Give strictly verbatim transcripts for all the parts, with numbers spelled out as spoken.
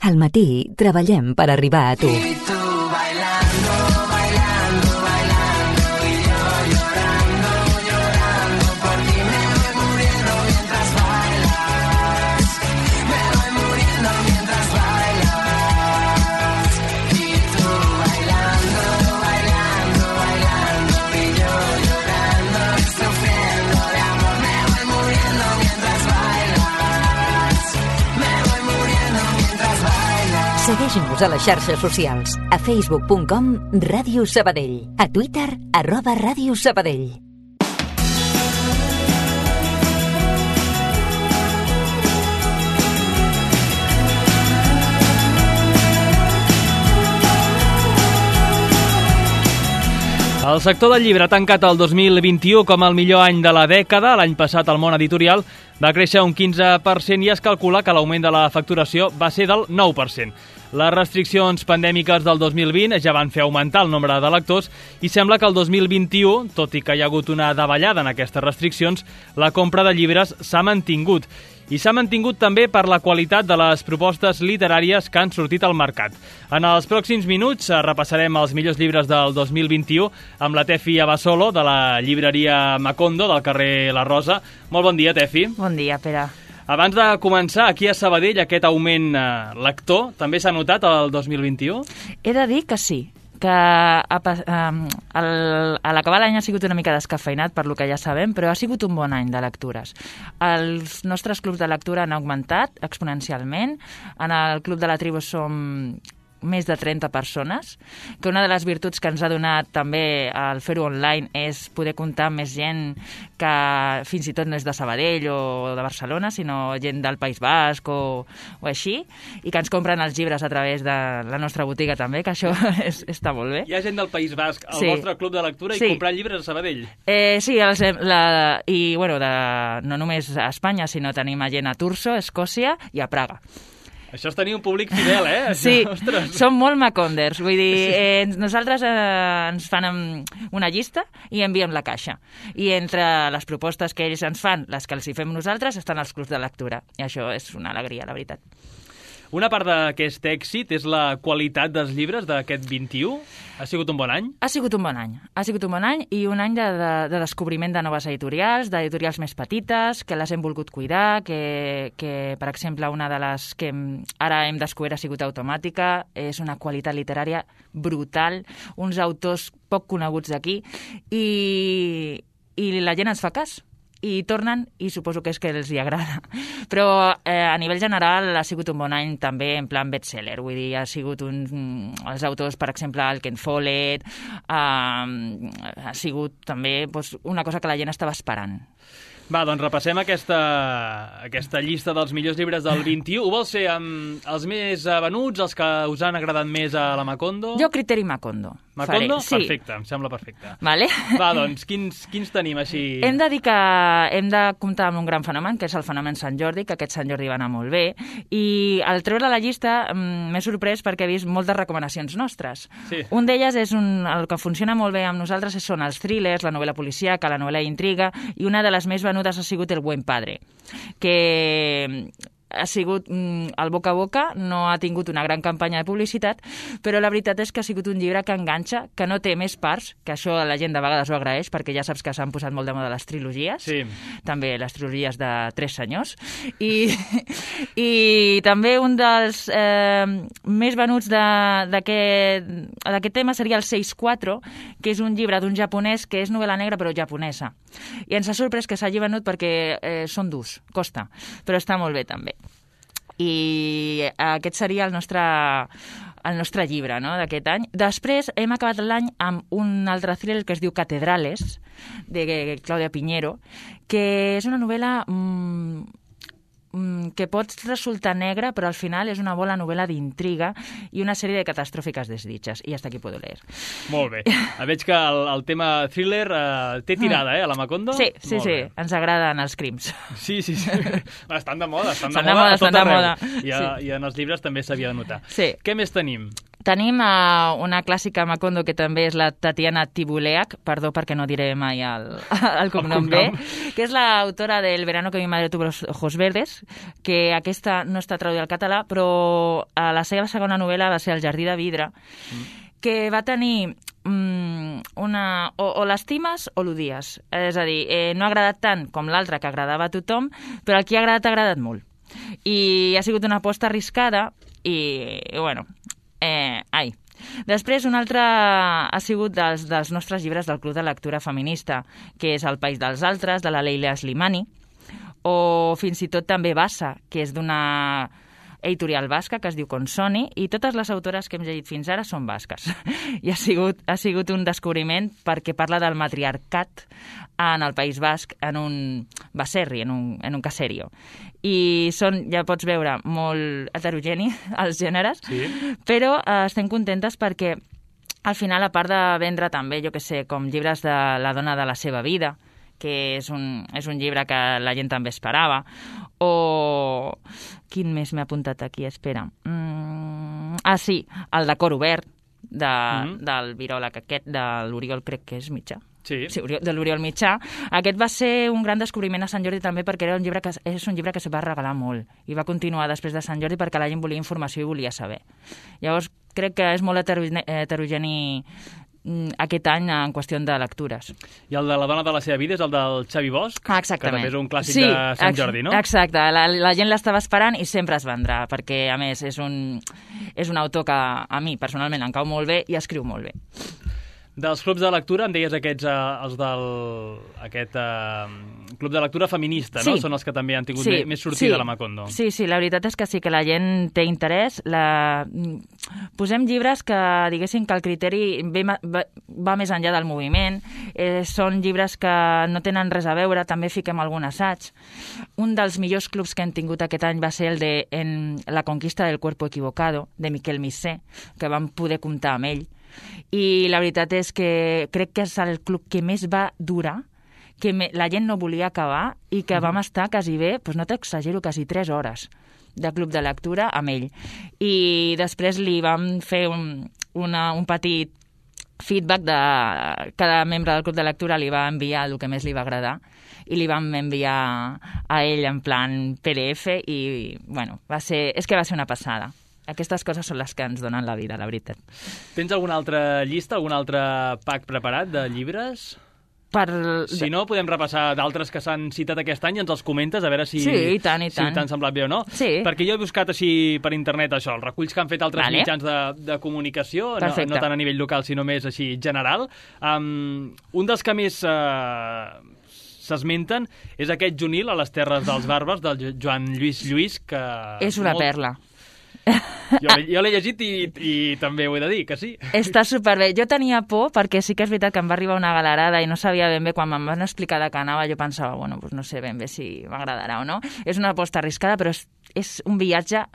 Al matí treballem per arribar a tu. Segueix-nos a les xarxes socials, a facebook punt com Ràdio Sabadell, a Twitter, arroba Ràdio Sabadell. El sector del llibre ha tancat el dos mil vint-i-u com el millor any de la dècada. L'any passat el món editorial va créixer un quinze per cent i es calcula que l'augment de la facturació va ser del nou per cent. Les restriccions pandèmiques del dos mil vint ja van fer augmentar el nombre de lectors i sembla que el dos mil vint-i-u, tot i que hi ha hagut una davallada en aquestes restriccions, la compra de llibres s'ha mantingut. I s'ha mantingut també per la qualitat de les propostes literàries que han sortit al mercat. En els pròxims minuts repassarem els millors llibres del dos mil vint-i-u amb la Tefi Abasolo, de la llibreria Macondo, del carrer La Rosa. Molt bon dia, Tefi. Bon dia, Pere. Abans de començar, aquí a Sabadell, aquest augment eh, lector, també s'ha notat el dos mil vint-i-u? He de dir que sí, que a, a, a l'acabar l'any ha sigut una mica descafeinat, per lo que ja sabem, però ha sigut un bon any de lectures. Els nostres clubs de lectura han augmentat exponencialment. En el Club de la Tribu som més de trenta persones, que una de les virtuts que ens ha donat també el fer-ho online és poder comptar amb més gent que fins i tot no és de Sabadell o de Barcelona, sinó gent del País Basc o, o així, i que ens compren els llibres a través de la nostra botiga també, que això és, està molt bé. Hi ha gent del País Basc al sí. vostre club de lectura i sí. comprant llibres a Sabadell? Eh, sí, els, la, i bueno, de, no només a Espanya, sinó tenim a gent a Turso, Escòcia i a Praga. Això és tenir un públic fidel, eh? Sí, Ostres. Som molt maconders. Vull dir, eh, nosaltres eh, ens fan una llista i enviem la caixa. I entre les propostes que ells ens fan, les que els hi fem nosaltres, estan els clubs de lectura. I això és una alegria, la veritat. Una part d'aquest èxit és la qualitat dels llibres d'aquest vint-i-u. Ha sigut un bon any? Ha sigut un bon any. Ha sigut un bon any i un any de, de, de descobriment de noves editorials, d'editorials més petites, que les hem volgut cuidar, que, que, per exemple, una de les que ara hem descobert ha sigut Automàtica. És una qualitat literària brutal, uns autors poc coneguts d'aquí, i, i la gent ens fa cas. I tornen, i suposo que és que els hi agrada. Però eh, a nivell general ha sigut un bon any també en plan bestseller, vull dir, ha sigut un... els autors, per exemple, el Ken Follett, eh, ha sigut també doncs, una cosa que la gent estava esperant. Va, doncs repassem aquesta, aquesta llista dels millors llibres del vint-i-u. Ho vols ser amb els més venuts, els que us han agradat més a la Macondo? Jo criteri Macondo. Macondo? Sí. Perfecte, em sembla perfecte. Vale. Va, doncs, quins, quins tenim així? Hem de dir que hem de comptar amb un gran fenomen, que és el fenomen Sant Jordi, que aquest Sant Jordi va anar molt bé, i al treure la llista m'he sorprès perquè he vist moltes recomanacions nostres. Sí. Un d'elles és un, el que funciona molt bé amb nosaltres són els thrillers, la novel·la policíaca, la novel·la d'intriga, i una de les més venudes ha sigut El Buen Padre, que ha sigut mm, el boca a boca, no ha tingut una gran campanya de publicitat, però la veritat és que ha sigut un llibre que enganxa, que no té més parts, que això la gent de vegades ho agraeix, perquè ja saps que s'han posat molt de moda les trilogies, sí. També les trilogies de Tres Senyors, i, i també un dels eh, més venuts d'aquest tema seria el seis quatre, que és un llibre d'un japonès que és novel·la negra però japonesa. I ens ha sorprès que s'hagi venut perquè eh, són durs, costa, però està molt bé també. I aquest seria el nostre, el nostre llibre, no?, d'aquest any. Després hem acabat l'any amb un altre thriller que es diu Catedrales, de Claudia Piñero, que és una novel·la mmm, que pot resultar negra, però al final és una bona novel·la d'intriga i una sèrie de catastròfiques desditges. I hasta aquí puedo leer. Molt bé. Veig que el, el tema thriller eh, té tirada, eh, a la Macondo? Sí, sí, Molt sí. Bé. Ens agraden els crims. Sí, sí, sí. Estan de moda, estan de estan moda, de moda, a tot estan de arreu. moda. I, a, sí. I en els llibres també s'havia de notar. Sí. Què més tenim? Tenim uh, una clàssica Macondo que també és la Tatiana Tibuleac, perdó perquè no diré mai el, el cognom B, que és l'autora del Verano que mi madre tuvo los ojos verdes, que aquesta no està traduïda al català, però uh, la seva segona novel·la va ser El jardí de vidre, mm. que va tenir um, una... o, o l'estimes o l'odies. És a dir, eh, no ha agradat tant com l'altra que agradava a tothom, però el que ha agradat ha agradat molt. I ha sigut una aposta arriscada i, i bueno, eh, ai. Després, un altre ha sigut dels, dels nostres llibres del Club de Lectura Feminista, que és El país dels altres, de la Leila Slimani, o fins i tot també Bassa, que és d'una editorial basca que es diu Consoni, i totes les autores que hem llegit fins ara són basques. I ha sigut, ha sigut un descobriment perquè parla del matriarcat en el País Basc, en un baserri, en un, en un caserio. I són, ja pots veure, molt heterogeni els gèneres, sí. Però eh, estem contentes perquè al final, a part de vendre també, jo que sé, com llibres de la dona de la seva vida, que és un, és un llibre que la gent també esperava, o... Quin més m'he apuntat aquí? Espera. Mm... Ah, sí, el de Cor obert, de, mm-hmm. del viròleg aquest, de l'Oriol, crec que és Mitjà. Sí. Sí, de l'Oriol Mitjà. Aquest va ser un gran descobriment a Sant Jordi també perquè era un llibre que, és un llibre que se va regalar molt i va continuar després de Sant Jordi perquè la gent volia informació i volia saber. Llavors, crec que és molt heterogeni aquest any en qüestió de lectures. I el de la dona de la seva vida és el del Xavi Bosch, ah, que també és un clàssic sí, de Sant Jordi, no? Exacte, la, la gent l'estava esperant i sempre es vendrà, perquè a més és un, és un autor que a mi personalment em cau molt bé i escriu molt bé. Dels clubs de lectura, em deies aquests, eh, els del aquest, eh, club de lectura feminista, no? Sí. Són els que també han tingut sí, més sortida sí, a la Macondo. Sí, sí, la veritat és que sí que la gent té interès. La... Posem llibres que diguéssim que el criteri ve, va, va més enllà del moviment. Eh, són llibres que no tenen res a veure, també fiquem algun assaig. Un dels millors clubs que hem tingut aquest any va ser el de en La conquista del cuerpo equivocado, de Miquel Missé, que vam poder comptar amb ell. I la veritat és que crec que és el club que més va durar, que me, la gent no volia acabar i que vam estar quasi bé, doncs no t'exagero, quasi tres hores de club de lectura amb ell. I després li vam fer un, una, un petit feedback de cada membre del club de lectura, li va enviar el que més li va agradar i li vam enviar a ell en plan P D F i, bueno, va ser, és que va ser una passada. Aquestes coses són les que ens donen la vida, la veritat. Tens alguna altra llista, algun altre pack preparat de llibres? Per... Si no, podem repassar d'altres que s'han citat aquest any i ens els comentes, a veure si, sí, i tant, i tant. si t'han semblat bé o no. Sí. Perquè jo he buscat així per internet això, els reculls que han fet altres vale. mitjans de, de comunicació, no, no tant a nivell local, sinó més així general. Um, un dels que més uh, s'esmenten és aquest Junil a les Terres dels Bàrbars, del Joan Lluís Lluís, que... És una molt... perla. Jo, jo l'he llegit i, i també ho he de dir, que sí. Està superbé. Jo tenia por perquè sí que és veritat que em va arribar una galerada i no sabia ben bé, quan me'n van explicar de què anava, jo pensava, bueno, doncs no sé ben bé si m'agradarà o no. És una aposta arriscada, però és, és un viatge,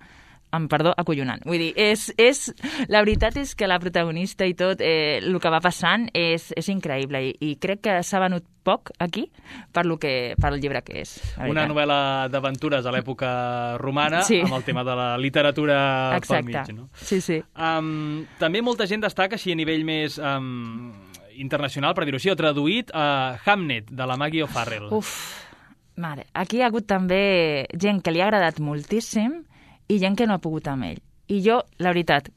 amb perdó, acollonant. Vull dir, és, és, la veritat és que la protagonista i tot, eh, el que va passant és, és increïble i, i crec que s'ha venut poc aquí per, lo que, per el llibre que és. Una novel·la d'aventures a l'època romana, sí. amb el tema de la literatura Exacte. pel mig. No? Sí, sí. Um, també molta gent destaca, així a nivell més um, internacional, per dir-ho així, o traduït, a uh, Hamnet, de la Maggie O'Farrell. Uf, mare, aquí hi ha hagut també gent que li ha agradat moltíssim i gent que no ha pogut amb ell. I jo, la veritat,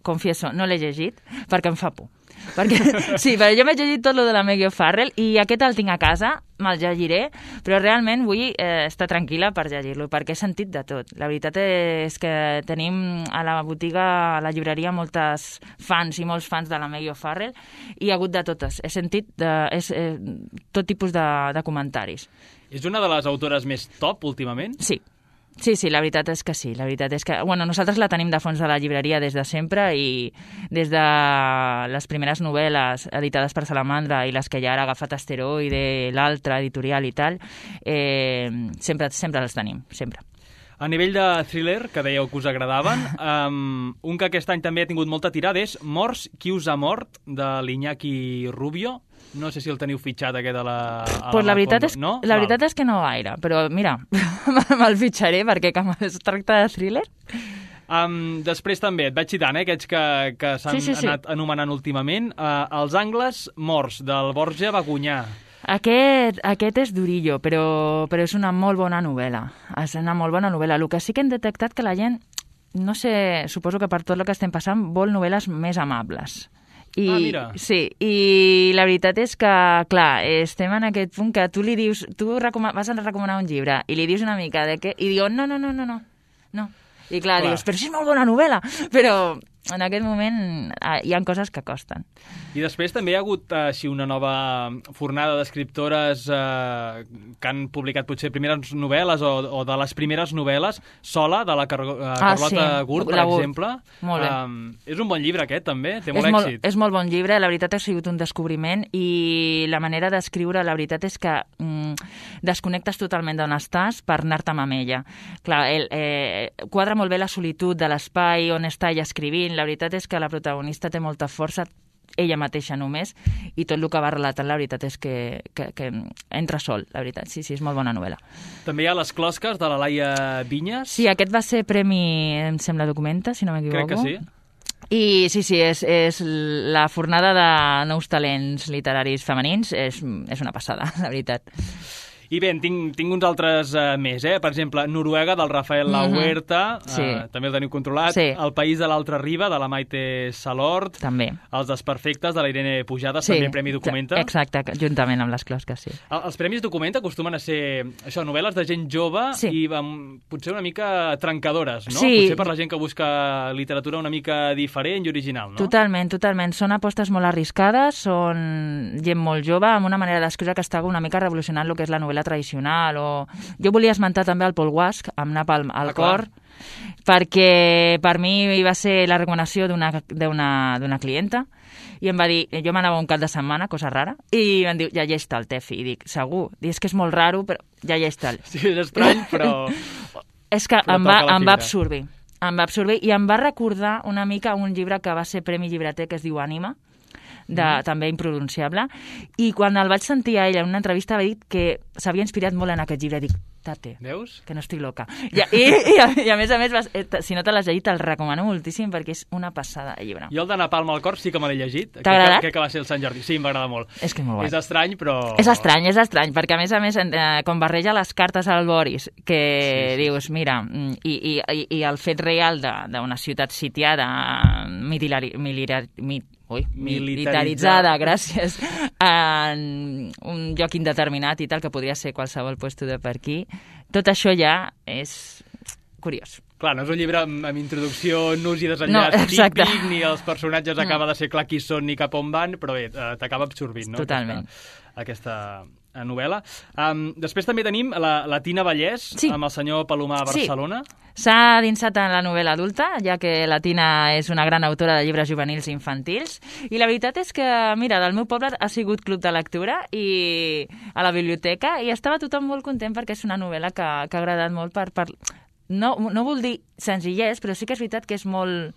confieso, no l'he llegit perquè em fa por. Perquè, sí, però jo m'he llegit tot lo de la Maggie O'Farrell i aquest el tinc a casa, me'l llegiré, però realment vull eh, estar tranquil·la per llegir-lo, perquè he sentit de tot. La veritat és que tenim a la botiga, a la llibreria, moltes fans i molts fans de la Maggie O'Farrell i hi ha hagut de totes. He sentit de, és, eh, tot tipus de, de comentaris. És una de les autores més top últimament? Sí. Sí, sí, la veritat és que sí. La veritat és que, bueno, nosaltres la tenim de fons de la llibreria des de sempre i des de les primeres novel·les editades per Salamandra i les que ja ara ha agafat Asteroide, l'altra editorial i tal, eh, sempre, sempre les tenim, sempre. A nivell de thriller, que dèieu que us agradaven, um, un que aquest any també ha tingut molta tirada és Morts, qui us ha mort, de l'Iñaki Rubio. No sé si el teniu fitxat, aquest a la... A pues la, la, veritat és, no? la veritat és que no gaire, però mira, me'l fitxaré perquè com es tracta de thriller... Um, després també, et vaig citant, eh, aquests que, que s'han Sí, sí, sí. anat anomenant últimament. Uh, Els angles morts, del Borja Bagunyà. Aquest, aquest és durillo, però, però és una molt bona novel·la. És una molt bona novel·la. El que sí que hem detectat que la gent, no sé, suposo que per tot el que estem passant, vol novel·les més amables. I, Ah, mira. Sí, i la veritat és que, clar, estem en aquest punt que tu li dius, tu recoma- vas a recomanar un llibre i li dius una mica de què, i diu, no, no, no, no, no, no. I clar, Clar. dius, però si és molt bona novel·la, però en aquest moment eh, hi ha coses que costen. I després també hi ha hagut eh, així una nova fornada d'escriptores eh, que han publicat potser primeres novel·les o, o de les primeres novel·les, Sola, de la Car eh, Ah, Carlota sí, Gurt, per la Gurt. exemple. Molt bé. Um, és un bon llibre aquest, també, té molt és molt, èxit. és molt bon llibre, la veritat ha sigut un descobriment i la manera d'escriure, la veritat és que mm, desconnectes totalment d'on estàs per anar-te'n amb ella. Clar, el, eh, quadra molt bé la solitud de l'espai on està ella escrivint, la veritat és que la protagonista té molta força, ella mateixa només, i tot el que va relatant, la veritat és que, que, que entra sol, la veritat. Sí, sí, és molt bona novel·la. També hi ha Les closques, de la Laia Vinyes. Sí, aquest va ser premi, em sembla, Documenta, si no m'equivoco. Crec que sí. I sí, sí, és, és la fornada de nous talents literaris femenins, és, és una passada, la veritat. I bé, en tinc, tinc uns altres uh, més, eh? Per exemple, Noruega, del Rafael La Mhm. Huerta, Sí. uh, també el teniu controlat. Sí. El País de l'altra riba, de la Maite Salort. També. Els Desperfectes, de la Irene Pujades, Sí, també Premi Documenta. Exacte, juntament amb les closques, sí. El- Els Premis Documenta acostumen a ser això, novel·les de gent jove Sí. i um, potser una mica trencadores, no? Sí. Potser per la gent que busca literatura una mica diferent i original, no? Totalment, totalment. Són apostes molt arriscades, són gent molt jove, amb una manera d'escriure que està una mica revolucionant el que és la novel·la tradicional. O... Jo volia esmentar també el Paul Guasch, amb Napalm al Ah, clar. cor, perquè per mi va ser la recomanació d'una d'una d'una clienta, i em va dir, jo m'anava un cap de setmana, cosa rara, i em diu, llegeix-te'l, Tefi. I dic, segur? Dic, és que és molt raro, però llegeix-te'l. Sí, és estrany, però... És que Però em va, toca la em va fibra. absorbir. Em va absorbir i em va recordar una mica un llibre que va ser Premi Llibreter, que es diu Ànima, de, mm. també impronunciable, i quan el vaig sentir a ella en una entrevista va dir que s'havia inspirat molt en aquest llibre. Dic, tate, Veus? que no estic loca. I, i, i, a, i a més a més, vas, eh, si no te l'has llegit, te'l recomano moltíssim perquè és una passada de llibre. Jo el de Napalm al cor sí que me l'he llegit. T'ha agradat? Crec que va ser el Sant Jordi. Sí, m'agrada molt. És que és molt guai. És estrany, però... És estrany, és estrany, perquè a més a més, eh, com barreja les cartes al Boris, que Sí, sí, dius, mira, mm, i, i, i, i el fet real de- d'una ciutat sitiada, militari, militar, mi, ui, militaritzada, gràcies, en un lloc indeterminat i tal, que podria ser qualsevol puesto de per aquí, tot això ja és curiós. Clar, no és un llibre amb, amb introducció, nus i No, desenllaç exacte. típic, ni els personatges No. acaba de ser clar qui són ni cap on van, però bé, eh, t'acaba absorbint, no? Totalment. Aquesta, aquesta eh, novel·la. Um, després també tenim la, la Tina Vallès, Sí. amb el senyor Palomar a Sí. Barcelona. S'ha dinsat en la novel·la adulta, ja que la Tina és una gran autora de llibres juvenils i infantils, i la veritat és que, mira, del meu poble ha sigut club de lectura i a la biblioteca, i estava tothom molt content perquè és una novel·la que, que ha agradat molt per... per no, no vol dir senzillès, però sí que és veritat que és molt...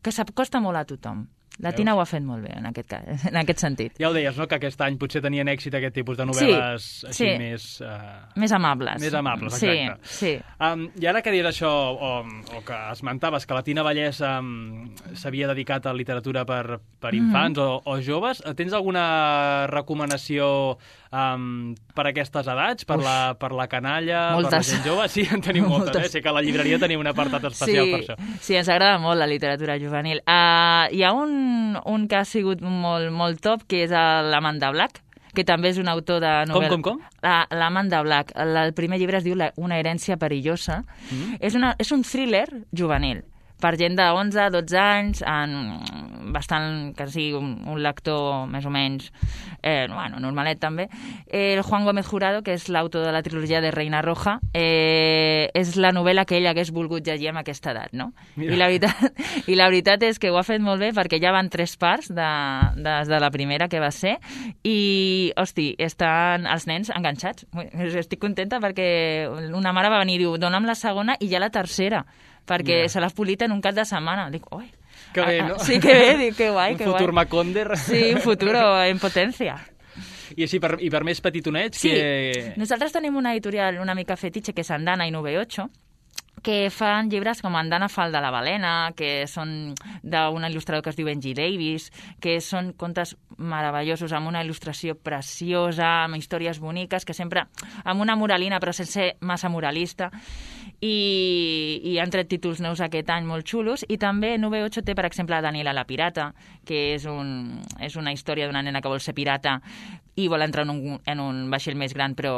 que s'acosta molt a tothom. La Tina Veus? ho ha fet molt bé en aquest, cas, en aquest sentit. Ja ho deies, no?, que aquest any potser tenien èxit aquest tipus de novel·les Sí, així sí. més... Uh... Més amables. Més amables, sí, exacte. Sí, Um, I ara que dius això, o, o que esmentaves que la Tina Vallès um, s'havia dedicat a literatura per, per infants mm -hmm. o, o joves, tens alguna recomanació um, per a aquestes edats? Per, la, per la canalla, per la Moltes. gent jove? Sí, en tenim moltes, Moltes. eh? Sé que a la llibreria tenim un apartat especial sí, per això. Sí, ens agrada molt la literatura juvenil. Uh, hi ha un, un que ha sigut molt, molt top, que és l'Amanda Black, que també és un autor de novel·la. Com, com, com? La- L'Amanda Black. El, el primer llibre es diu La- Una herència perillosa. Mm. És, una, és un thriller juvenil per gent de onze, dotze anys, en bastant, que sigui un, un lector més o menys, eh, bueno, normalet també. Eh, el Juan Gómez Jurado, que és l'autor de la trilogia de Reina Roja, eh, és la novel·la que ell hagués volgut llegir amb aquesta edat, no? Mira. I la, veritat, I la veritat és que ho ha fet molt bé perquè ja van tres parts de, de, de la primera que va ser i, hosti, estan els nens enganxats. Estic contenta perquè una mare va venir i diu, dona'm la segona i ja la tercera, perquè Mira. se l'ha polit en un cap de setmana. Dic, oi, Que bé, ah, no? ah, sí, que bé, dic, que guai, un que futur guai. Maconder. Sí, un futur en potència. I així, per, i per més petitonets, Sí, que... nosaltres tenim una editorial una mica fetitxe que és Andana i nove ocho, que fan llibres com Andana Fal de la balena, que són d'un il·lustrador que es diu Benji Davis, que són contes meravellosos, amb una il·lustració preciosa, amb històries boniques, que sempre amb una moralina, però sense ser massa moralista, i, i han tret títols nous aquest any molt xulos, i també N V ocho té, per exemple, Daniela la pirata, que és, un, és una història d'una nena que vol ser pirata i vol entrar en un, en un vaixell més gran, però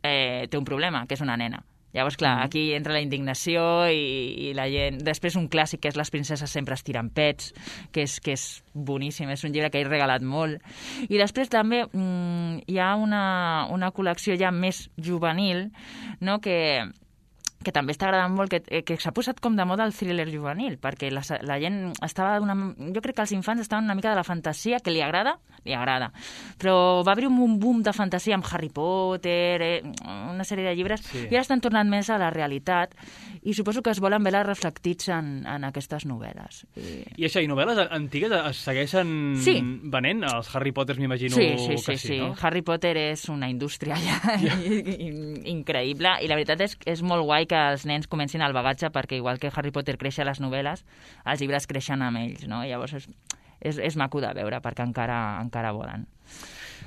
eh, té un problema, que és una nena. Llavors, clar, mm. aquí entra la indignació i, i la gent... Després un clàssic que és Les princeses sempre es tiren pets, que és, que és boníssim, és un llibre que he regalat molt. I després també mm, hi ha una, una col·lecció ja més juvenil, no?, que... que també està agradant molt, que, que s'ha posat com de moda el thriller juvenil, perquè la, la gent estava... Una, jo crec que els infants estaven una mica de la fantasia, que li agrada, li agrada. Però va haver un boom de fantasia amb Harry Potter, eh, una sèrie de llibres, sí. I ara estan tornant més a la realitat, i suposo que es volen veure reflectits en, en aquestes novel·les. I... I això, i novel·les antigues es segueixen sí. venent? Els Harry Potters m'imagino sí, sí, que sí, sí, no? Sí, Harry Potter és una indústria ja yeah. increïble, i la veritat és que és molt guai que els nens comencin el bagatge, perquè igual que Harry Potter creix a les novel·les, els llibres creixen amb ells, no? Llavors és, és, és maco de veure, perquè encara, encara volen.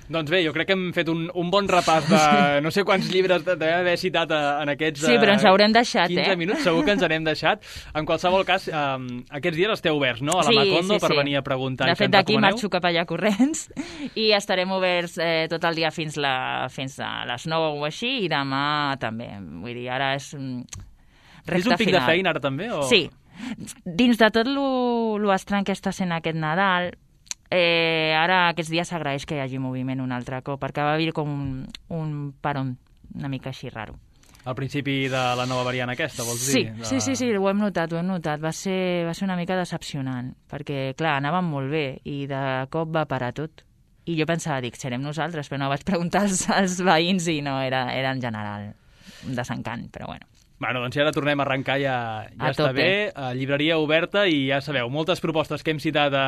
Doncs bé, jo crec que hem fet un, un bon repàs de no sé quants llibres devem haver citat en aquests sí, però ens haurem deixat, quinze eh? minuts, segur que ens n'hem deixat. En qualsevol cas, um, aquests dies esteu oberts, no?, a la sí, Macondo, sí, per sí. venir a preguntar. De fet, d'aquí marxo cap allà corrents i estarem oberts eh, tot el dia fins, la, fins a les nou o així, i demà també. Vull dir, ara és recta és un pic final. de feina ara també? O... Sí. Dins de tot lo, lo estrany que està sent aquest Nadal, Eh, ara aquests dies s'agraeix que hi hagi moviment un altre cop, perquè va haver com un, un paron una mica així raro. Al principi de la nova variant aquesta, vols sí, dir? De... Sí, sí, sí, ho hem notat, ho hem notat. Va ser, va ser una mica decepcionant, perquè, clar, anàvem molt bé i de cop va parar tot. I jo pensava, dic, serem nosaltres, però no, vaig preguntar als, als veïns i no, era, era en general un desencant, però bueno. Bueno, doncs ja ara tornem a arrencar, ja, ja a està tope. bé, a llibreria oberta, i ja sabeu, moltes propostes que hem citat a,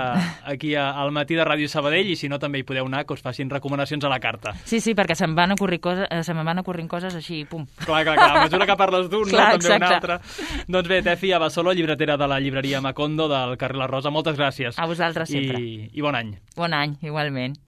aquí a, al matí de Ràdio Sabadell, i si no també hi podeu anar, que us facin recomanacions a la carta. Sí, sí, perquè se'm van ocorrir coses, se me'n van ocorrint coses així, pum. Clar, clar, clar, a mesura que parles d'un, no, també exacte. un altre. Doncs bé, Tefi Abasolo, llibretera de la llibreria Macondo del carrer La Rosa, moltes gràcies. A vosaltres sempre. I, i bon any. Bon any, igualment.